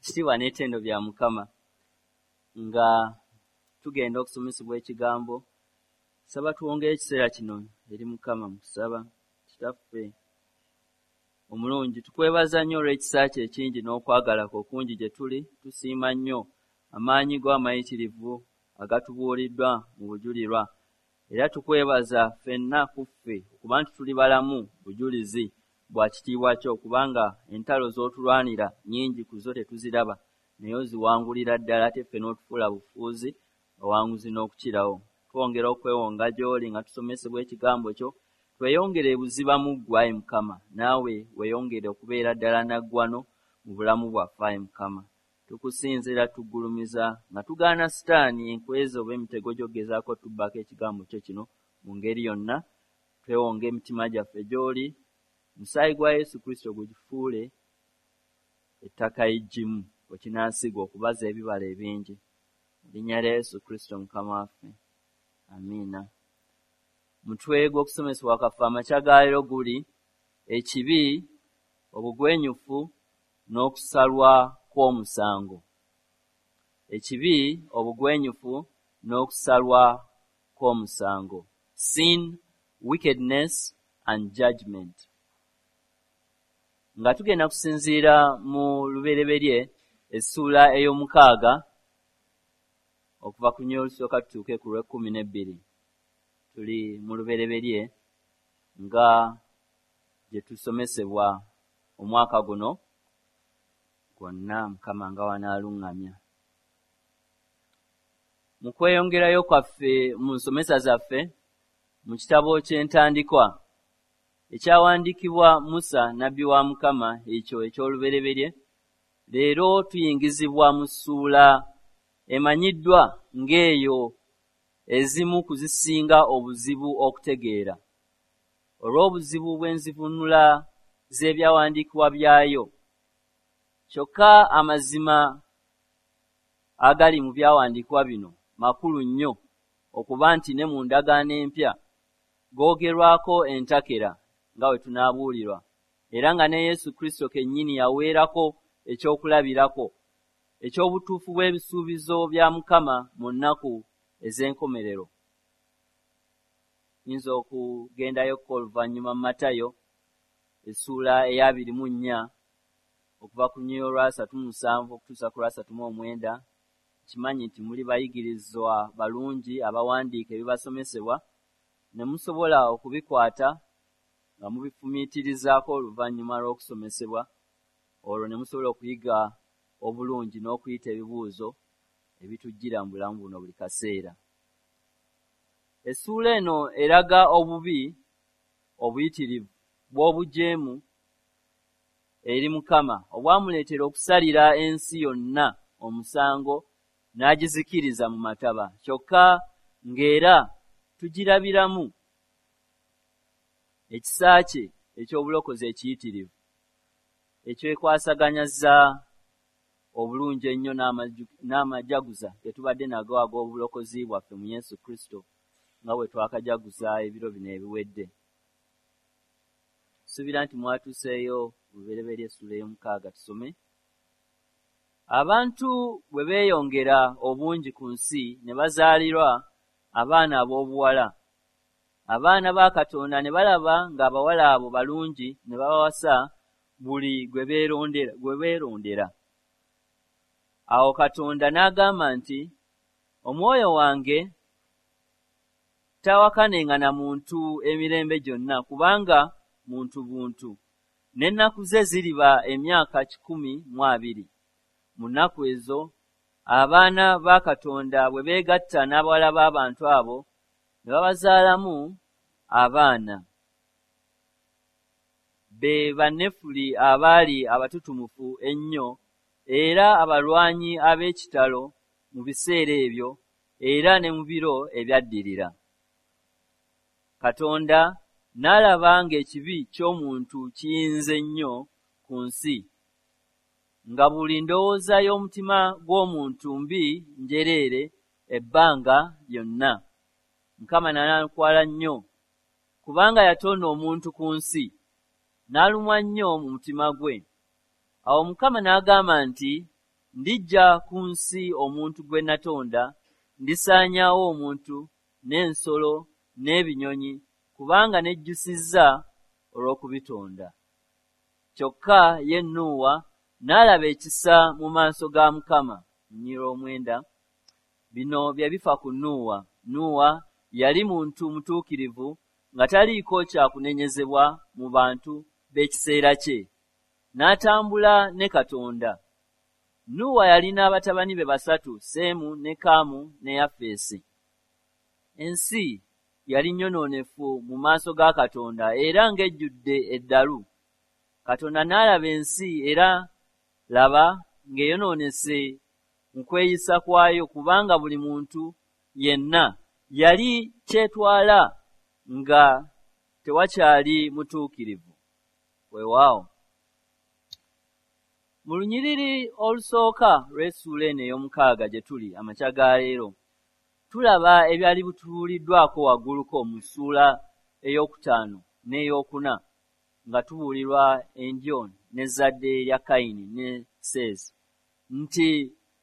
Ekitiibwa n'ettendo bya Mukama. Nga tugenda okusomesebwa ekigambo, saba tuwongeyo ekiseera kino eri Mukama mu kusaba. Kitaffe omulungi, tukwebaza nnyo olw'ekisa kyo ekingi n'okwagala kwo okungi gye tuli. Tusiima nnyo amaanyi go amayitirivu agatubuuliddwa mu bujulirwa, era tukwebaza ffenna ku ffe okuba nti tuli balamu bujulizi bwa kitiibwa kyo, kubanga entalo z'otulwanira nnyingi ku zo tetuziraba, naye oziwangulira ddala, ate ffe n'otufuula bufuuzi awanguzi n'okukirawo. Twongera okwewonga gy'oli nga tusomesebwa ekigambo kyo, tweyongere ebuziba mu ggwe, ayi Mukama, naawe weeyongere okubeera ddala naggwano mu bulamu bwaffe, ayi Mukama. Tukusinza era tuggulumiza nga tugaana Sitaani enkwezi oba emitego gy'ogezaako tubbako ekigambo kyo kino mu ngeri yonna. Twewonga emitima gyaffe gy'oli, omusaayi gwa Yesu Kristo gugifuule ettaka eggimu kwe kinaasigwa okubaza ebibala ebingi. Mu linnya lya Yesu Kristo Mukama waffe, amiina. Mutwe gw'okusomesebwa kwaffe amakya ga leero guli ekibi, obugwenyufu n'okusalwa kw'omusango. Ekibi, obugwenyufu n'okusalwa kw'omusango. Sin, wickedness and judgment. Nga tugenda kusinziira mu Lubereberye essuula ey'omukaaga okuva ku nnyo olusooka tutuuke ku lw'ekkumi n'ebbiri. Tuli mu Lubereberye nga gye tusomesebwa omwaka guno gwonna, Mukama nga wanaaluŋŋamya. Mu kweyongerayo kwaffe mu nsomesa zaffe mu kitabo ky'entandikwa ekyawandiikibwa Musa nabbi wa Mukama, ekyo eky'Olubereberye, leero tuyingizibwa mu ssuula emanyiddwa ng'eyo ezimu ku zisinga obuzibu okutegeera olw'obuzibu bw'enzivuunula z'ebyawandiikibwa byayo. Kyokka amazima agali mu byawandiikibwa bino makulu nnyo okuba nti ne mu ndagaano empya googerwako entakera nga bwe tunaabuulirwa, era nga ne Yesu Kristo kennyini yaweerako ekyokulabirako eky'obutuufu bw'ebisuubizo bya Mukama mu nnaku ez'enkomerero. Nyinza okugendayokko oluvannyuma mu Matayo essuula ey'abiri mu nnya okuva ku nnyo olwasatu mu musanvu okutuusa ku lwasatu mu omwenda. Nkimanyi nti muli bayigirizwa balungi abawandiika ebibasomesebwa ne musobola okubikwata nga mubifumiitirizaako oluvannyuma lw'okusomesebwa, olwo ne musobola okuyiga obulungi n'okuyita ebibuuzo ebitujjira mu bulamu buno buli kaseera. Essuula eno eraga obubi obuyitirivu bw'obujeemu eri Mukama obwamuleetera okusalira ensi yonna omusango n'agizikiriza mu mataba, kyokka ng'era tugirabiramu ekisa kye eky'obulokozi ekiyitirivu ekyekwasaganyaza obulungi ennyo n'amajaguza ge tubadde nago ag'obulokozi bwaffe mu Yesu Kristo nga bwe twakajaguza ebiro bino ebiwedde. Nsuubira nti mwatuuseeyo mu Lubereberye essuula ey'omukaaga tusome. Abantu bwe beeyongera obungi ku nsi ne bazaalirwa abaana ab'obuwala, abaana ba Katonda ne balaba ng'abawala abo balungi ne babawasa buli gwe beerondera. Awo Katonda n'agamba nti, omwoyo wange taawakanenga na muntu emirembe gyonna, kubanga muntu buntu, n'ennaku ze ziriba emyaka 120. Mu nnaku ezo abaana ba Katonda bwe beegatta n'abawala b'abantu abo ne babazaalamu abaana. Be Banefuli abaali abatutumufu ennyo era abalwanyi ab'ekitalo mu biseera ebyo era ne mu biro ebyaddirira. Katonda n'alaba ng'ekibi ky'omuntu kiyinze nnyo ku nsi, nga buli ndowooza y'omutima gw'omuntu mbi njereere ebbanga lyonna. Mukama n'anakuwala nnyo, kubanga yatonda omuntu ku nsi, n'alumwa nnyo mu mutima gwe. Awo Mukama n'agamba nti, Ndiggya ku nsi omuntu gwe natonda, ndisaanyaawo omuntu n'ensolo n'ebinyonyi, kubanga nejjusizza olw'okubitonda. Kyokka ye Nuuwa n'alaba ekisa mu maaso ga Mukama. Lunyiriri 9. Bino bye bifa ku Nuuwa. Nuuwa yali muntu mutuukirivu nga taliiko kyakunenyezebwa mu bantu b'ekiseera kye, n'atambula ne Katonda. Nuuwa yalina batabani be 3, Seemu ne Kaamu ne Yafeesi. Ensi yali nnyonoonefu mu maaso ga Katonda era ng'ejjudde eddalu. Katonda n'alaba ensi era laba ng'eyonoonese mu kweyisa kwayo, kubanga buli muntu yenna yali kyetwala nga tewakyali mutuukirivu. Weewaawo. Mu lunyiriri olusooka lw'essuula eno ey'omukaaga gye tuli amakya ga leero, tulaba ebyali bitubuuliddwako wagguluko mu ssuula 5 n'eyokuna, nga tubuulirwa endyo n'ezzadde lya Kayini ne Seezi, nti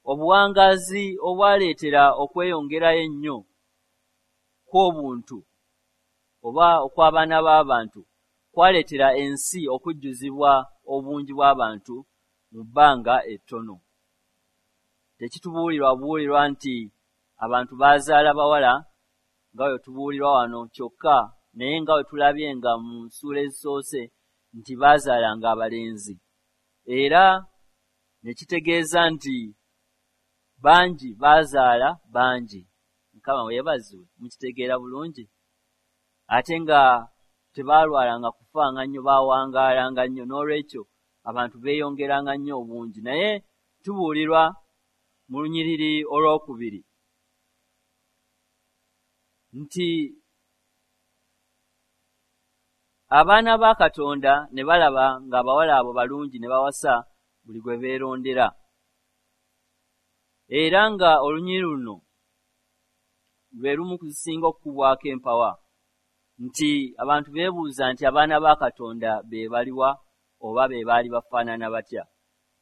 obuwangaazi obwaleetera okweyongerayo ennyo kw'obuntu oba okw'abaana b'abantu kwaleetera ensi okujjuzibwa obungi bw'abantu mu bbanga ettono. Tekitubuulirwa buulirwa nti abantu baazaala bawala nga bwe tubuulirwa wano kyokka, naye nga bwe tulabye nga mu ssuula ezisoose nti baazaalanga abalenzi, era ne kitegeeza nti bangi baazaala bangi. Mukama weebazibwe, mukitegeera bulungi. Ate nga tebaalwalanga kufanga nnyo, baawangaalanga nnyo, n'olwekyo abantu beeyongeranga nnyo obungi. Naye tubuulirwa mu lunyiriri 2 nti abaana ba Katonda ne balaba ng'abawala abo balungi ne bawasa buli gwe beerondera. Era nga olunyiriri luno lwe lumu ku zisinga okukubwako empawa, nti abantu beebuuza nti abaana ba Katonda be baliwa oba be baali bafaanana batya,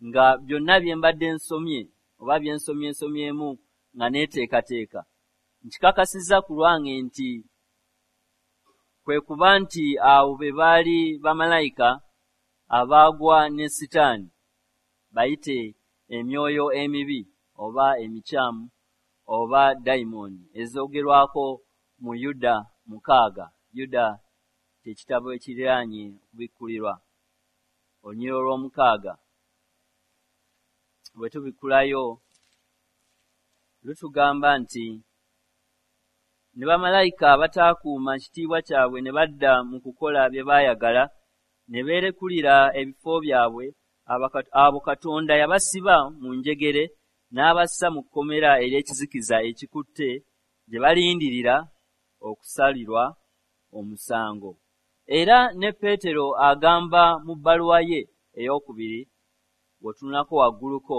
nga byonna bye mbadde nsomye oba bye nsomye nsomyemu nga neeteekateeka. Nkikakasizza ku lwange nti kwe kuba nti abo be baali bamalayika abaagwa ne Sitaani, bayite emyoyo emibi oba emikyamu oba dayimooni ezoogerwako mu Yuda 6. Yuda ky'ekitabo ekiriraanye okubikkulirwa, olunyiriri 6. Bwe tubikkulayo lutugamba nti ne bamalayika abataakuuma kitiibwa kyabwe ne badda mu kukola bye baayagala ne beerekulira ebifo byabwe, abo Katonda yabasiba mu njegere n'abassa mu kkomera ery'ekizikiza ekikutte gye balindirira okusalirwa omusango. Era ne Peetero agamba mu bbaluwa ye 2, bw'otunulako wagguluko,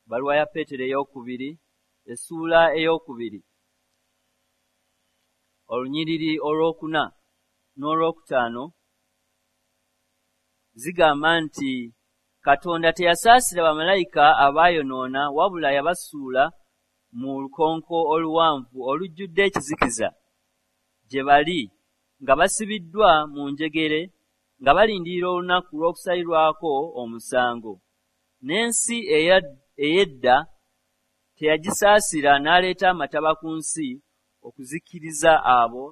bbaluwa ya Peetero 2, essuula 2, olunyiriri 4 n'olwokutaano, zigamba nti Katonda teyasaasira bamalayika abaayonoona, wabula yabasuula mu lukonko oluwanvu olujjudde ekizikiza gye bali nga basibiddwa mu njegere nga balindirira olunaku lw'okusalirwako omusango. N'ensi ey'edda teyagisaasira n'aleeta amataba ku nsi okuzikiriza abo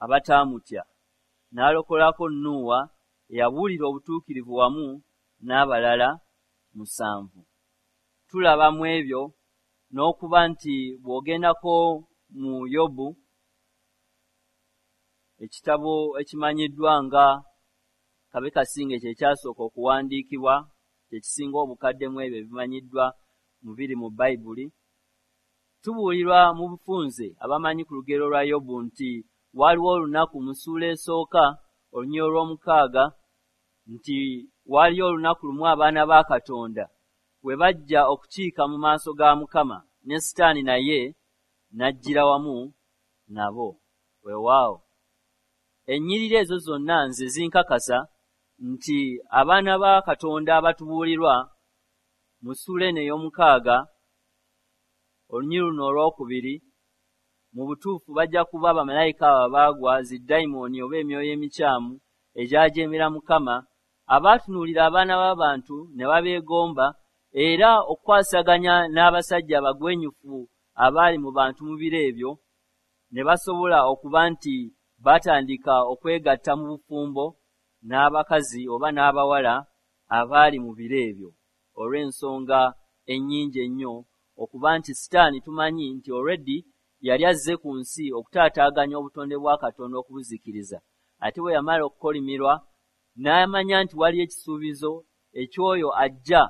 abataamutya, n'alokolako Nuuwa eyabuulira obutuukirivu wamu n'abalala 7. Tulaba mu ebyo n'okuba nti bw'ogendako mu Yobu, ekitabo ekimanyiddwa nga kabe kasinge kye kyasooka okuwandiikibwa, kye kisinga obukadde mu ebyo ebimanyiddwa mu biri mu Bayibuli, tubuulirwa mu bufunze abamanyi ku lugero lwa Yobu nti waaliwo olunaku mu ssuula esooka olunyiriri 6 nti waaliyo olunaku lumu abaana ba Katonda we bajja okukiika mu maaso ga Mukama, ne Sitaani naye n'ajjira wamu nabo. Weewaawo. Ennyiriri ezo zonna nze zinkakasa nti abaana ba Katonda abatubuulirwa Mu ssuula eno ey'omukaaga olunyiriri luno olwokubiri, mu butuufu bajja kuba bamalayika abo abaagwa, zidayimooni oba emyoyo emikyamu egyajeemera Mukama, abaatunuulira abaana b'abantu ne babeegomba, era okukwasaganya n'abasajja abagwenyufu abaali mu bantu mu biro ebyo, ne basobola okuba nti batandika okwegatta mu bufumbo n'abakazi oba n'abawala abaali mu biro ebyo, olw'ensonga ennyingi ennyo okuba nti Sitaani tumanyi nti already yali azze ku nsi okutaataaganya obutonde bwa Katonda okubuzikiriza. Ate bwe yamala okukolimirwa n'amanya nti waliyo ekisuubizo eky'oyo ajja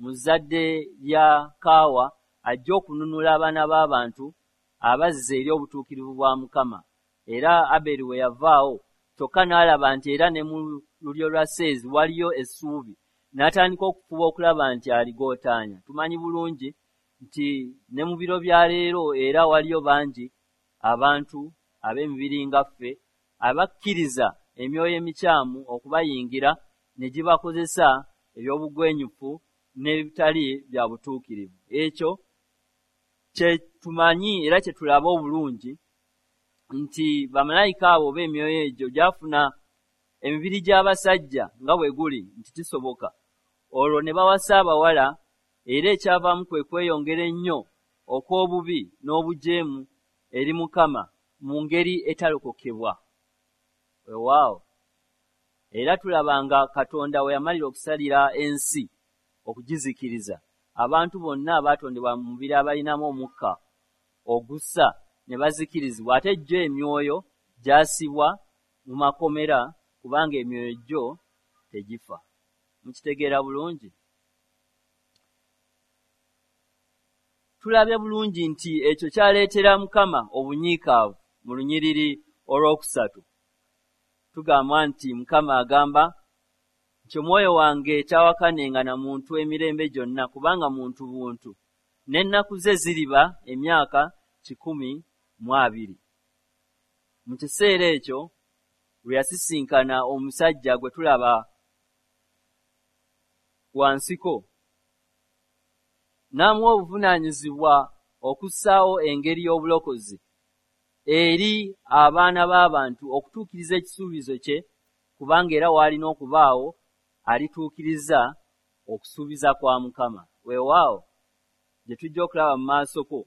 mu zzadde lya Kaawa, ajja okununula abaana b'abantu abazze eri obutuukirivu bwa Mukama. Era Aberi we yavaawo, kyokka n'alaba nti era ne mu lulyo lwa Seezi waliyo essuubi, n'atandika okufuba okulaba nti aligootaanya. Tumanyi bulungi nti ne mu biro bya leero era waliyo bangi abantu ab'emibiri nga ffe abakkiriza emyoyo emikyamu okubayingira ne gibakozesa eby'obugwenyufu n'ebitali bya butuukirivu. Ekyo kye tumanyi era kye tulaba obulungi nti bamalayika abo oba emyoyo egyo gyafuna emibiri gy'abasajja nga bwe guli nti kisoboka, olwo ne bawasa abawala, era ekyavaamu kwe kweyongera ennyo okw'obubi n'obujeemu eri Mukama mu ngeri etalokokebwa. Weewaawo, era tulaba nga Katonda we yamalira okusalira ensi okugizikiriza, abantu bonna abaatondebwa mu mubiri abalinamu omukka ogussa ne bazikirizibwa, ate gyo emyoyo gyasibwa mu makomera kubanga emyoyo gyo tegifa. Mukitegeera bulungi? Tulabye bulungi nti ekyo kyaleetera Mukama obunyiikaavu. Mu lunyiriri olwokusatu tugamba nti Mukama agamba nti omwoyo wange tawakanenga na muntu emirembe gyonna, kubanga muntu buntu, n'ennaku ze ziriba emyaka 120. Mu kiseera ekyo lwe yasisinkana omusajja gwe tulaba wansiko, n'amuwa obuvunaanyizibwa okussaawo engeri y'obulokozi eri abaana b'abantu okutuukiriza ekisuubizo kye, kubanga era waalina okubaawo alituukiriza okusuubiza kwa Mukama. Weewaawo, gye tujja okulaba mu maasoko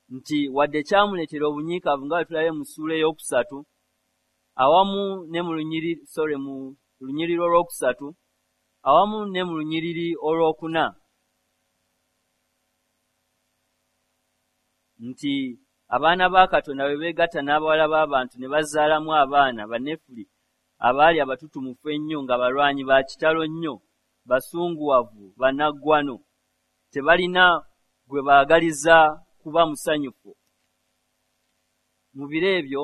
nti wadde kyamuleetera obunyiikaavu nga bwe tulabye mu ssuula ey'okusatu awamu ne mu lunyiriri olwokusatu awamu ne mu lunyiriri olwokuna, nti abaana ba Katonda bwe beegatta n'abawala b'abantu ne bazaalamu abaana Banefuli abaali abatutumufu ennyo nga balwanyi ba kitalo nnyo, basunguwavu, bannaggwano, tebalina gwe baagaliza kuba musanyufu. Mu biro ebyo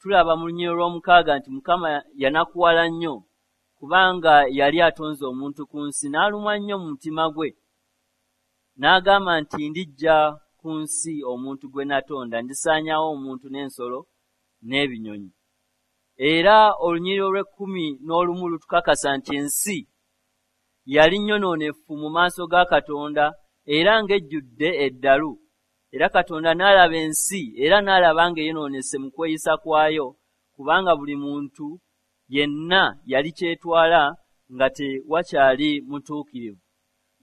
tulaba mu lunyiriri olw'omukaaga nti Mukama yanakuwala nnyo kubanga yali atonze omuntu ku nsi, n'alumwa nnyo mu mutima gwe, n'agamba nti ndijja ku nsi omuntu gwe natonda, ndisaanyaawo omuntu n'ensolo n'ebinyonyi. Era olunyiriri olw'ekkumi n'olumu lutukakasa nti ensi yali nnyonoonefu mu maaso ga Katonda era ng'ejjudde eddalu. Era Katonda n'alaba ensi era n'alaba ng'eyonoonese mu kweyisa kwayo, kubanga buli muntu yenna yali kyetwala nga tewakyali mutuukirivu,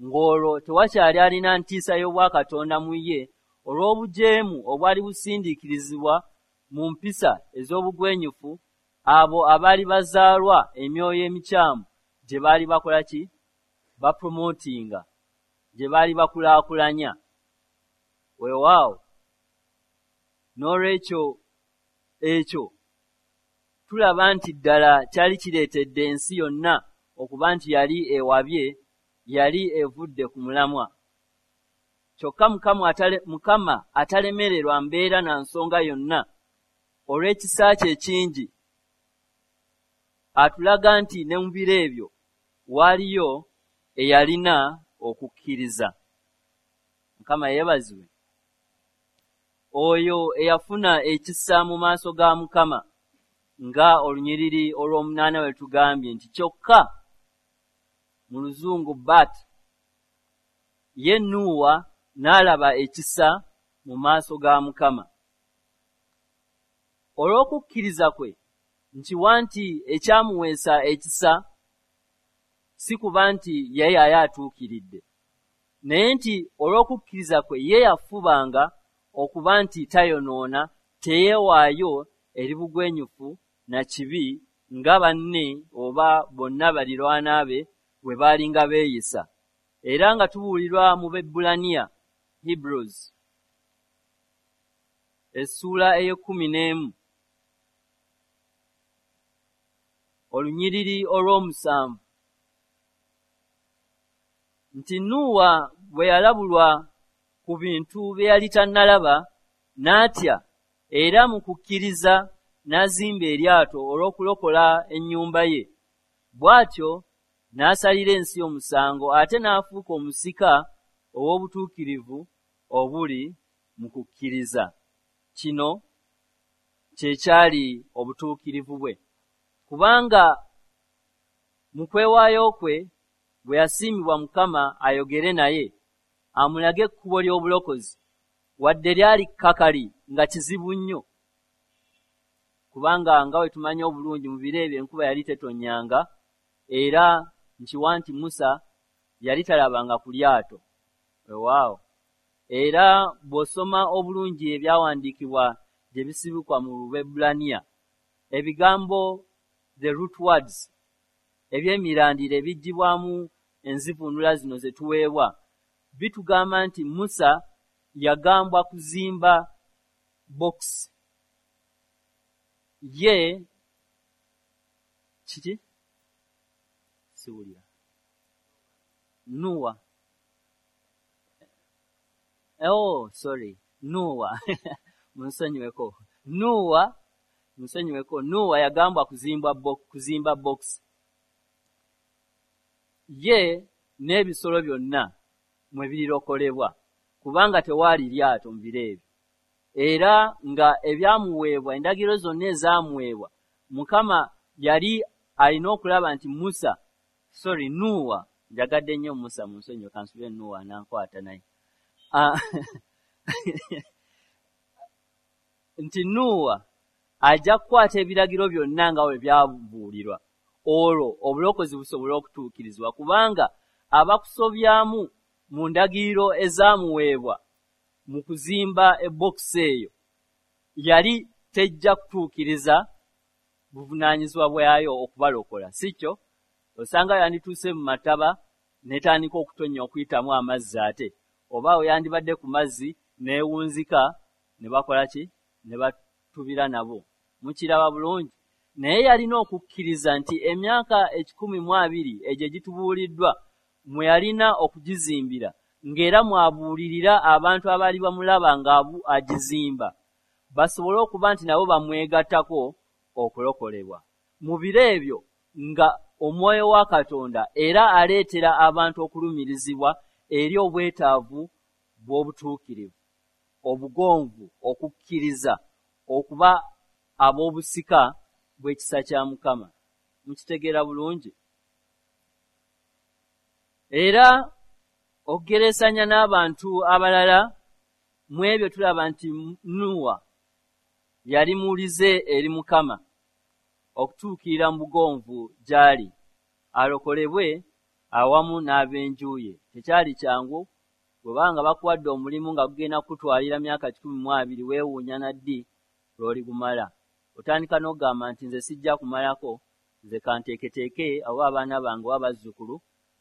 ng'olwo tewakyali alina ntiisa y'obwakatonda mu ye olw'obujeemu obwali busindiikirizibwa mu mpisa ez'obugwenyufu abo abaali bazaalwa emyoyo emikyamu gye baali bakola ki? Bapromotinga, gye baali bakulaakulanya. Weewaawo, n'olwekyo ekyo tulaba nti ddala kyali kireetedde ensi yonna okuba nti yali ewabye, yali evudde ku mulamwa. Kyokka Mukama atalemererwa mbeera na nsonga yonna olw'ekisa kye ekingi atulaga nti ne mu biro ebyo waaliyo eyalina okukkiriza. Mukama yeebazibwe. Oyo eyafuna ekisa mu maaso ga Mukama, nga olunyiriri olw'omunaana bwe tugambye nti kyokka mu luzungu but Ye Nuuwa n'alaba ekisa mu maaso ga Mukama. Olw'okukkiriza kwe nkiwa nti ekyamuweesa ekisa si kuba nti ye yali atuukiridde, naye nti olw'okukkiriza kwe ye yafubanga okuba nti tayonoona, teyeewaayo eri bugwenyufu na kibi nga banne oba bonna balirwana be bwe baalinga beeyisa. Era nga tubuulirwa mu Bebbulaniya, Hebrews, essuula ey'e11, olunyiriri olw'omusanvu, nti Nuuwa bwe yalabulwa ku bintu bye yali tannalaba, n'atya, era mu kukkiriza n'azimba eryato olw'okulokola ennyumba ye. Bw'atyo n'asalira ensi omusango, ate n'afuuka omusika ow'obutuukirivu obuli mu kukkiriza. Kino kye kyali obutuukirivu bwe, kubanga mu kwewaayo kwe bwe yasiimibwa Mukama ayogere naye, amulage ekkubo ly'obulokozi, wadde lyali kkakali nga kizibu nnyo, kubanga nga bwe tumanyi obulungi mu biro ebyo enkuba yali tetonnyanga, era nkiwa nti Musa yali talabanga ku lyato. Weewaawo. Era bw'osoma obulungi ebyawandiikibwa gye bisibukwa mu Lubebbulaniya, ebigambo the root words eby'emirandira ebiggyibwamu enzivuunula zino ze tuweebwa bitugamba nti Musa yagambwa kuzimba box ye kiki siwulira Nuwa, oh sorry, Nuwa munsonyiweko, Nuwa munsonyiweko. Nuwa yagambwa kuzimba box ye n'ebisolo byonna mwe birirokolebwa, kubanga tewaali lyato mu biro ebyo. Era nga ebyamuweebwa, endagiriro zonna ezaamuweebwa, Mukama yali alina okulaba nti Musa, sorry, Nuwa, njagadde nnyo Musa, munsonyiwe, kansubire Nuwa anankwata naye, nti Nuwa ajja kukwata ebiragiro byonna nga bwe byabuulirwa, olwo obulokozi busobole okutuukirizibwa, kubanga abakusobyamu mu ndagiriro ezaamuweebwa mu kuzimba ebokisi eyo yali tejja kutuukiriza buvunaanyizibwa bwayo okubalokola, si kyo? Osanga yandituuse mu mataba n'etandika okutonnya okuyitamu amazzi, ate oba yandibadde ku mazzi n'ewunzika ne bakola ki? Ne batubira nabo. Mukiraba bulungi. Naye yalina okukkiriza nti emyaka 120 egyo egitubuuliddwa mwe yalina okugizimbira, ng'era mwabuulirira abantu abaali bamulaba nga agizimba, basobole okuba nti nabo bamwegattako okulokolebwa. Mu biro ebyo nga omwoyo wa Katonda era aleetera abantu okulumirizibwa eri obwetaavu bw'obutuukirivu, obugonvu, okukkiriza, okuba ab'obusika bw'ekisa kya Mukama. Mukitegeera bulungi. Era okugereesanya n'abantu abalala mu ebyo tulaba nti Nuwa yali muwulize eri Mukama okutuukirira mu bugonvu gy'ali, alokolebwe awamu n'ab'enju ye. Tekyali kyangu bwebanga bakuwadde omulimu nga gugenda kukutwalira myaka 120, weewuunya na ddi lw'oligumala. Otandika n'okugamba nti nze sijja kumalako, nze kanteeketeeke oba abaana bange oba bazzukulu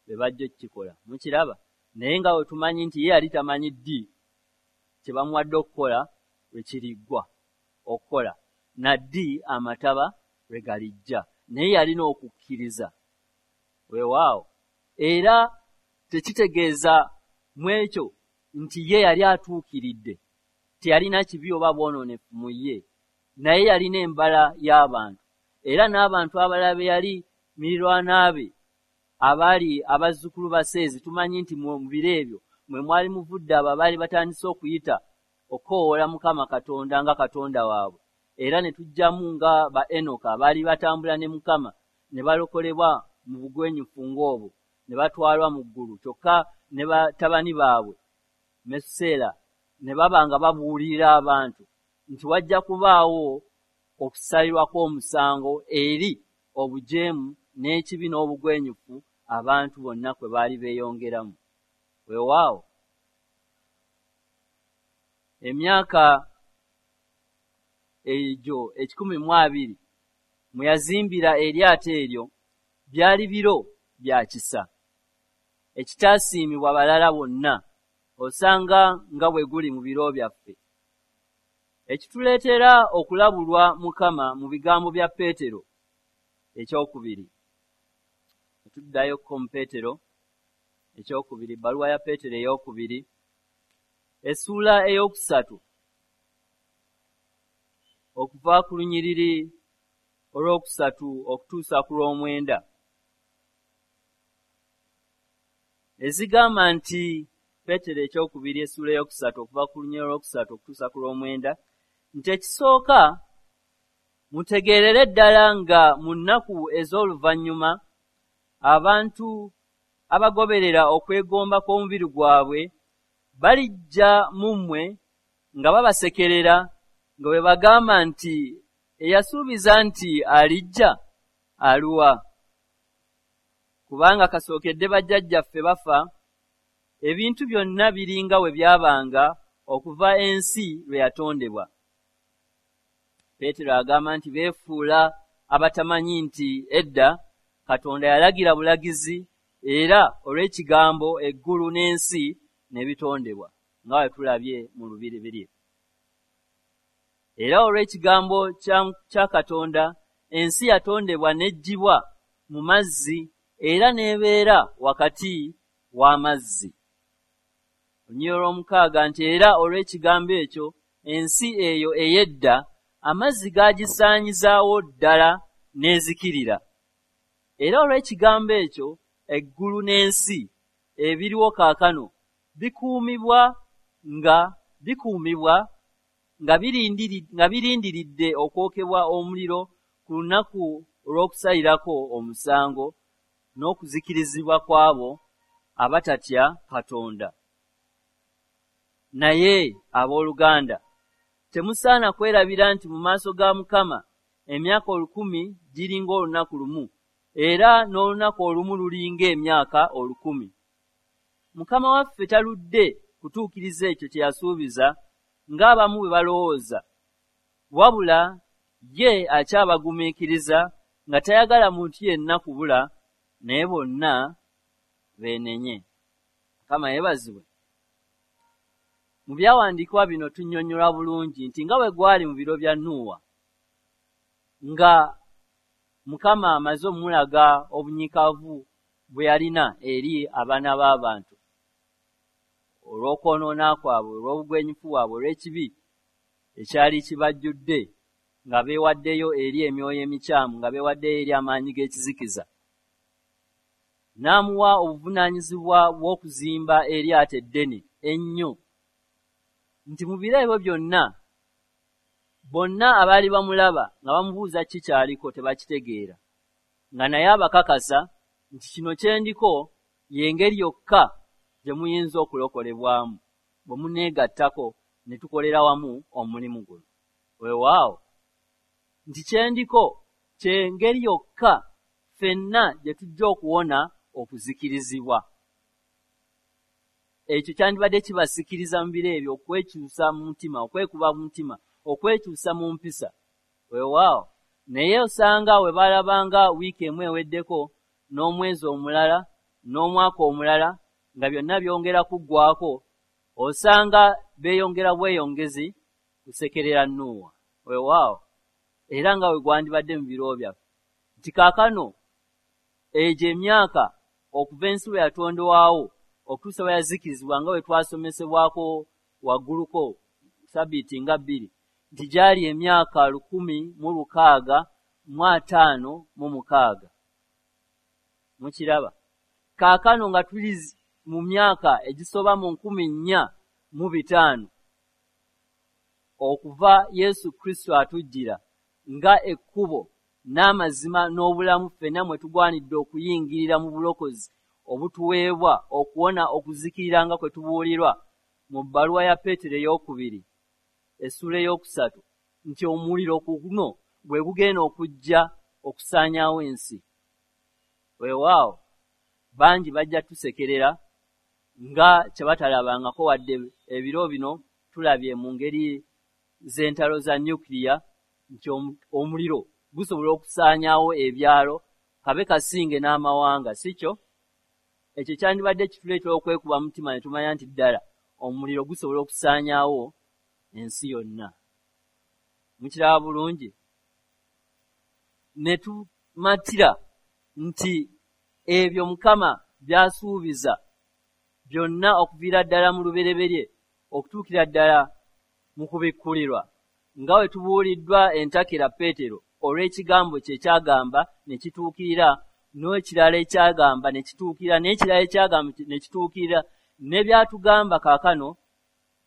be bajja okukikola. Mukiraba? Naye nga bwe tumanyi nti ye yali tamanyi ddi kye bamuwadde okukola lwe kiriggwa okukola, na ddi amataba lwe galijja, naye yalina okukkiriza. Weewaawo. Era tekitegeeza mu ekyo nti ye yali atuukiridde, teyalina kibi oba bwonoonefu mu ye, naye yalina embala y'abantu. Era n'abantu abalala be yali mirirwana be abaali abazzukulu ba Seezi, tumanyi nti mu biro ebyo mwe mwali muvudde abo abaali batandise okuyita okukoowoola Mukama Katonda nga Katonda waabwe, era ne tujjamu nga ba Enoka abaali batambula ne Mukama ne balokolebwa mu bugwenyufu ng'obwo ne batwalwa mu ggulu. Kyokka ne batabani baabwe Mesuseera ne baba nga babuulirira abantu nti wajja kubaawo okusalirwa kw'omusango eri obujeemu n'ekibi n'obugwenyufu abantu bonna kwe baali beeyongeramu. Weewaawo emyaka egyo 120 mwe yazimbira eryato eryo byali biro bya kisa ekitaasiimibwa balala bonna, osanga nga bwe guli mu biro byaffe. Ekituleetera okulabulwa Mukama mu bigambo bya Peetero ekyokubiri. Tuddayoko mu Peetero ekyokubiri, ebbaluwa ya Peetero eyokubiri, essuula 3 okuva ku lunyiriri olwokusatu okutuusa ku lw'omwenda, ezigamba nti Peetero ekyokubiri essuula 3 okuva ku lunyiriri olwokusatu okutuusa ku lw'omwenda nti ekisooka mutegeerere ddala nga mu nnaku ez'oluvannyuma abantu abagoberera okwegomba kw'omubiri gwabwe balijja mu mmwe nga babasekerera nga bwe bagamba nti eyasuubiza nti alijja aluwa, kubanga kasookedde bajjajjaffe bafa, ebintu byonna biringa we byabanga okuva ensi lwe yatondebwa. Peetero agamba nti beefuula abatamanyi nti edda Katonda yalagira bulagizi era olw'ekigambo eggulu n'ensi ne bitondebwa nga bwe tulabye mu lubereberye. Era olw'ekigambo kya Katonda ensi yatondebwa n'eggyibwa mu mazzi era n'ebeera wakati w'amazzi. Olunyiriri olw'omukaaga nti era olw'ekigambo ekyo ensi eyo ey'edda amazzi gaagisaanyizaawo ddala n'ezikirira. Era olw'ekigambo ekyo eggulu n'ensi ebiriwo kaakano bikuumibwa nga birindiridde okwokebwa omuliro ku lunaku olw'okusalirako omusango n'okuzikirizibwa kw'abo abatatya Katonda. Naye abooluganda, temusaana kwerabira nti mu maaso ga Mukama emyaka 1000 giringa olunaku lumu, era n'olunaku olumu lulinga emyaka 1000. Mukama waffe taludde kutuukiriza ekyo kye yasuubiza ng'abamu bwe balowooza, wabula ye akyabagumiikiriza nga tayagala muntu yenna kubula, naye bonna beenenye. Mukama yeebazibwe. Mu byawandiikibwa bino tunnyonnyolwa bulungi nti nga bwe gwali mu biro bya Nuuwa, nga Mukama amaze omulaga obunyiikaavu bwe yalina eri abaana b'abantu olw'okwonoona kwabwe, olw'obugwenyufu bwabwe, olw'ekibi ekyali kibajjudde, nga beewaddeyo eri emyoyo emikyamu, nga beewaddeyo eri amaanyi g'ekizikiza. N'amuwa obuvunaanyizibwa bw'okuzimba eryato eddene ennyo, nti mu biro ebyo byonna bonna abaali bamulaba nga bamubuuza ki kyaliko tebakitegeera, nga naye abakakasa nti kino kye ndiko y'engeri yokka gye muyinza okulokolebwamu bwe muneegattako ne tukolera wamu omulimu guno. Weewaawo nti kye ndiko ky'engeri yokka ffenna gye tujja okuwona okuzikirizibwa. Ekyo kyandibadde kibasikiriza mu biro ebyo okwekyusa mu mutima, okwekuba mu mutima, okwekyusa mu mpisa. Weewaawo naye osanga we baalabanga wiiki emu eweddeko n'omwezi omulala n'omwaka omulala nga byonna byongera kuggwako, osanga beeyongera bweyongezi kusekerera Nuuwa. Weewaawo era nga we gwandibadde mu biro byaffe nti kaakano egyo emyaka okuva ensi lwe yatondebwawo okutuusa bwe yazikirizibwa nga bwe twasomesebwako wagguluko sabbiiti nga 2 nti gyali emyaka 1656. Mukiraba kaakano nga tuli mu myaka egisoba mu 4500 okuva Yesu Kristo atujjira nga ekkubo n'amazima n'obulamu ffenna mwe tugwanidde okuyingirira mu bulokozi obutuweebwa okuwona okuzikirira nga kwe tubuulirwa mu bbaluwa ya Peetero 2 essula 3 nti omuliro guno gwe gugenda okujja okusaanyaawo ensi. Weewaawo bangi bajja tusekerera nga kye batalabangako, wadde ebiro bino tulabye mu ngeri z'entalo za nuclear nti omuliro gusobola okusaanyaawo ebyalo kabe kasinge n'amawanga, si kyo? Ekyo kyandibadde kituleetera okwekuba mutima ne tumanya nti ddala omuliro gusobola okusaanyaawo ensi yonna. Mukiraba bulungi? Ne tumatira nti ebyo Mukama by'asuubiza byonna okuviira ddala mu lubereberye okutuukira ddala mu kubikkulirwa, nga bwe tubuuliddwa entakera Peetero olw'ekigambo kye kyagamba ne kituukirira, n'ekirala ekyagamba ne kituukirira, n'ekirala ekyagamba ne kituukirira, ne by'atugamba kaakano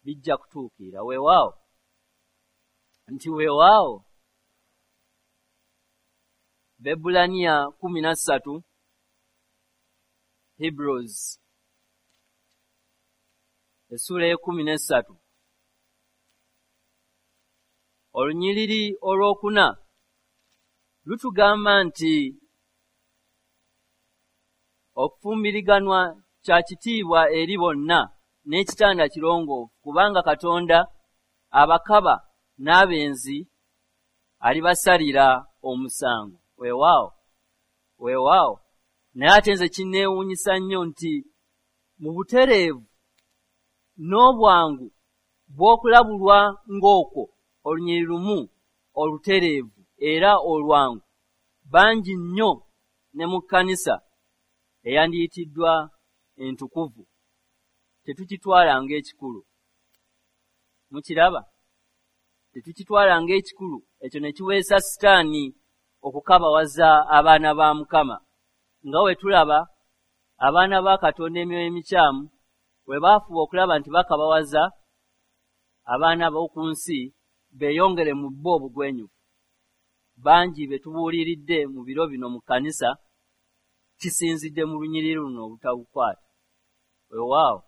bijja kutuukirira. Weewaawo nti weewaawo. Bebbulaniya 13, Hebrews essula 13, olunyiriri 4 lutugamba nti okufumbiriganwa kya kitiibwa eri bonna n'ekitanda kirongoofu, kubanga Katonda abakaba n'abenzi alibasalira omusango. Weewaawo, weewaawo. Naye ate nze kinneewuunyisa nnyo nti mu butereevu n'obwangu bw'okulabulwa ng'okwo olunyiriri lumu olutereevu era olwangu, bangi nnyo ne mu kkanisa eyandiyitiddwa entukuvu tetukitwala ng'ekikulu. Mukiraba? Tetukitwala ng'ekikulu. Ekyo ne kiweesa Sitaani okukabawaza abaana ba Mukama, nga bwe tulaba abaana ba Katonda emyoyo emikyamu bwe baafuba okulaba nti bakabawaza abaana b'oku nsi beeyongere mu bo obugwenyufu. Bangi be tubuuliridde mu biro bino mu kkanisa kisinzidde mu lunyiriri luno obutabukwata. Weewaawo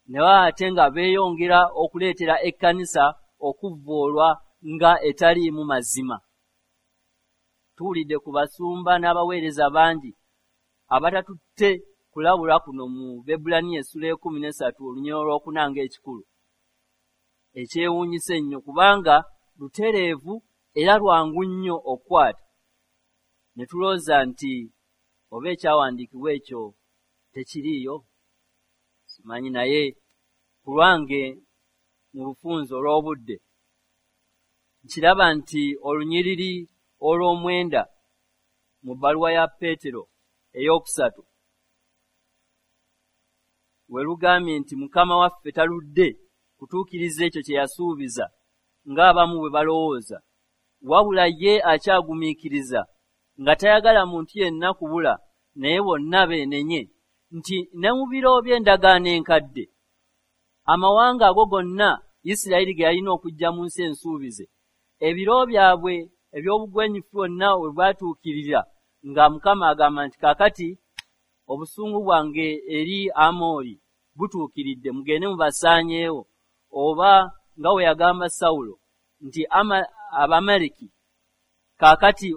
naye ate nga beeyongera okuleetera ekkanisa okuvvoolwa nga etaliimu mazima. Tuwulidde ku basumba n'abaweereza bangi abatatutte kulabula kuno mu Bebbulaniya essula 13 olunyiriri 4 ng'ekikulu. Ekyewuunyisa ennyo kubanga lutereevu era lwangu nnyo okukwata. Ne tulowooza nti oba ekyawandiikibwa ekyo tekiriiyo, simanyi, naye ku lwange mu bufunze olw'obudde nkiraba nti olunyiriri 9 mu bbaluwa ya Peetero 3 we lugambye nti Mukama waffe taludde kutuukiriza ekyo kye yasuubiza ng'abamu bwe balowooza, wabula ye akyagumiikiriza nga tayagala muntu yenna kubula, naye bonna beenenye, nti ne mu biro by'endagaano enkadde amawanga ago gonna Isirayiri ge yalina okujja mu nsi ensuubize, ebiro byabwe eby'obugwenyufu bwonna we bwatuukirira nga Mukama agamba nti kaakati obusungu bwange eri Amooli butuukiridde, mugende mubasaanyeewo, oba nga bwe yagamba Sawulo nti Abamaleki kaakati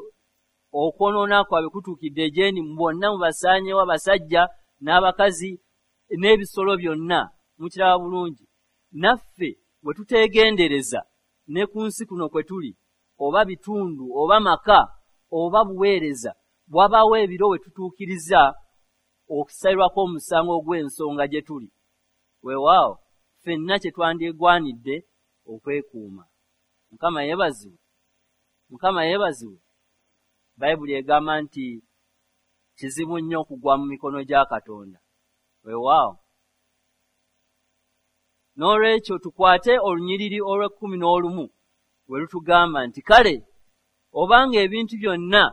okwonoona kwabwe kutuukidde gye ndi, bonna mubasaanyeewo, abasajja n'abakazi n'ebisolo byonna. Mukiraba bulungi? Naffe bwe tuteegendereza ne ku nsi kuno kwe tuli, oba bitundu oba maka oba buweereza, bwabaawo ebiro we tutuukiriza okusalirwako omusango ogw'ensonga gye tuli. Weewaawo ffenna kye twandigwanidde okwekuuma. Mukama yeebazibwe. Mukama yeebazibwe. Bayibuli egamba nti kizibu nnyo okugwa mu mikono gya Katonda. Weewaawo n'olwekyo tukwate olunyiriri 11 we lutugamba nti kale obanga ebintu byonna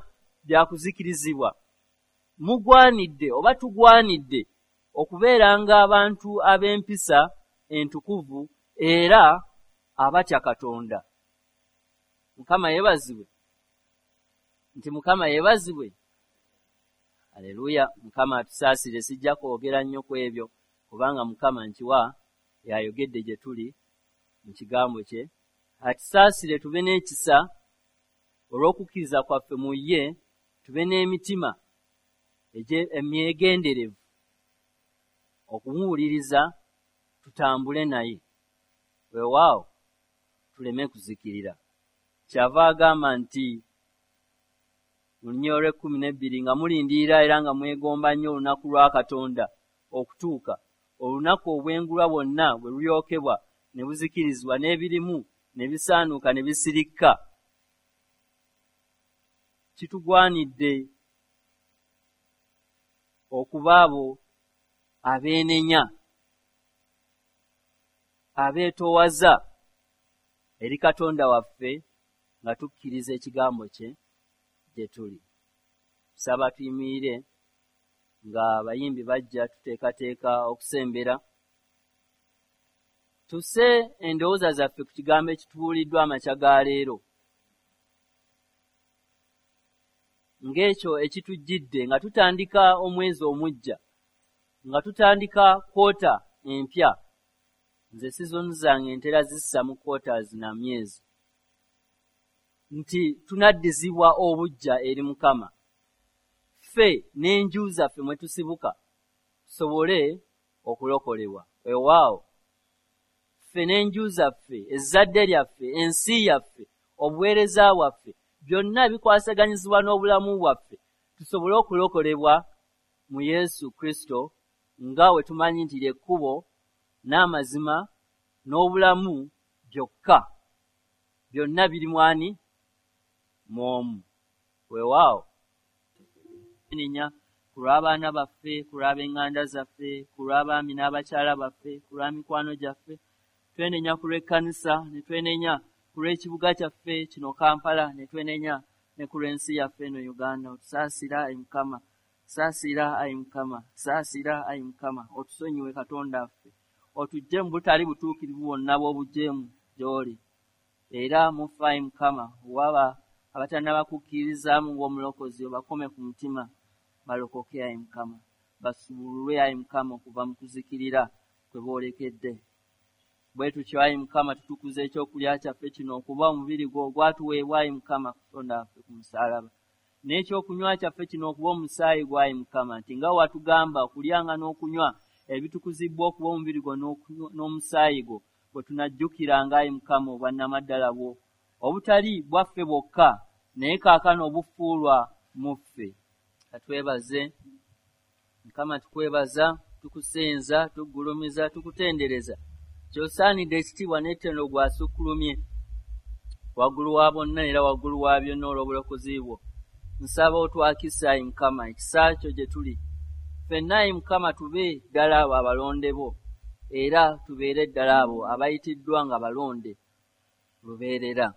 byakuzikirizibwa, mugwanidde oba tugwanidde okubeeranga abantu ab'empisa entukuvu era abatya Katonda. Mukama yeebazibwe. Nti Mukama yeebazibwe. Aleluya. Mukama atusaasire, sijja kwogera nnyo ku ebyo kubanga Mukama nkiwa yayogedde gye tuli mu kigambo kye. Atusaasire tube n'ekisa olw'okukkiriza kwaffe mu ye, tube n'emitima emyegenderevu okumuwuliriza, tutambule naye, weewaawo tuleme kuzikirira. Kyava agamba nti mu lunyiriri olw'ekkumi n'ebbiri, nga mulindirira era nga mwegomba nnyo olunaku lwa Katonda okutuuka, olunaku obwengulwa bwonna bwe lulyokebwa ne buzikirizibwa, n'ebirimu ne bisaanuuka ne bisirikka. Kitugwanidde okuba abo abeenenya, abeetoowaza eri Katonda waffe nga tukkiriza ekigambo kye gye tuli. Tusaba tuyimirire nga abayimbi bajja tuteekateeka okusembera. Tusse endowooza zaffe ku kigambo ekitubuuliddwa amakya ga leero, ng'ekyo ekitujjidde nga tutandika omwezi omuggya, nga tutandika kwota empya. Nze sizoni zange ntera zissa mu quarters na myezi, nti tunaddizibwa obuggya eri Mukama, ffe n'enju zaffe mwe tusibuka tusobole okulokolebwa. Weewaawo ffe n'enju zaffe, ezzadde lyaffe, ensi yaffe, obuweereza bwaffe, byonna bikwasaganyizibwa n'obulamu bwaffe tusobole okulokolebwa mu Yesu Kristo, nga we tumanyi nti ly'ekkubo n'amazima n'obulamu byokka. Byonna biri mwani mw'omu. Weewaawo nenya ku lw'abaana baffe, ku lw'ab'eŋŋanda zaffe, ku lw'abaami n'abakyala baffe, ku lwa mikwano gyaffe. Twenenya ku lw'ekkanisa, ne twenenya ku lw'ekibuga kyaffe kino Kampala, ne twenenya ne ku lw'ensi yaffe eno Uganda. Otusaasira ayi Mukama, saasira ayi Mukama, saasira ayi Mukama, otusonyiwe Katonda waffe, otuggye mu butali butuukirivu bwonna bw'obujeemu gy'oli. Era mufe ayi Mukama, waba abatannaba kukkirizaamu ng'omulokozi, obakome ku mutima balokoke ayi Mukama, basumululwe ayi Mukama okuva mu kuzikirira kwe boolekedde. Bwe tutyo ayi Mukama tutukuza ekyokulya kyaffe kino okuba omubiri gwo ogwatuweebwa ayi Mukama Katonda waffe ku musaalaba, n'ekyokunywa kyaffe kino okuba omusaayi gwo ayi Mukama, nti nga watugamba okulyanga n'okunywa ebitukuzibbwa okuba omubiri gwo n'omusaayi gwo, bwe tunajjukiranga ayi Mukama obwannamaddala bwo obutali bwaffe bwokka, naye kaakano obufuulwa mu ffe. Katwebaze Mukama, tukwebaza, tukusinza, tuggulumiza, tukutendereza. Ky'osaanidde ekitiibwa n'ettendo gw'asukkulumye waggulu wa bonna era waggulu wa byonna olw'obulokozi bwo. Nsaba otwakise ayi Mukama ekisa kyo gye tuli ffenna ayi Mukama, tube ddala abo abalonde bo, era tubeere ddala abo abayitiddwa nga balonde lubeerera.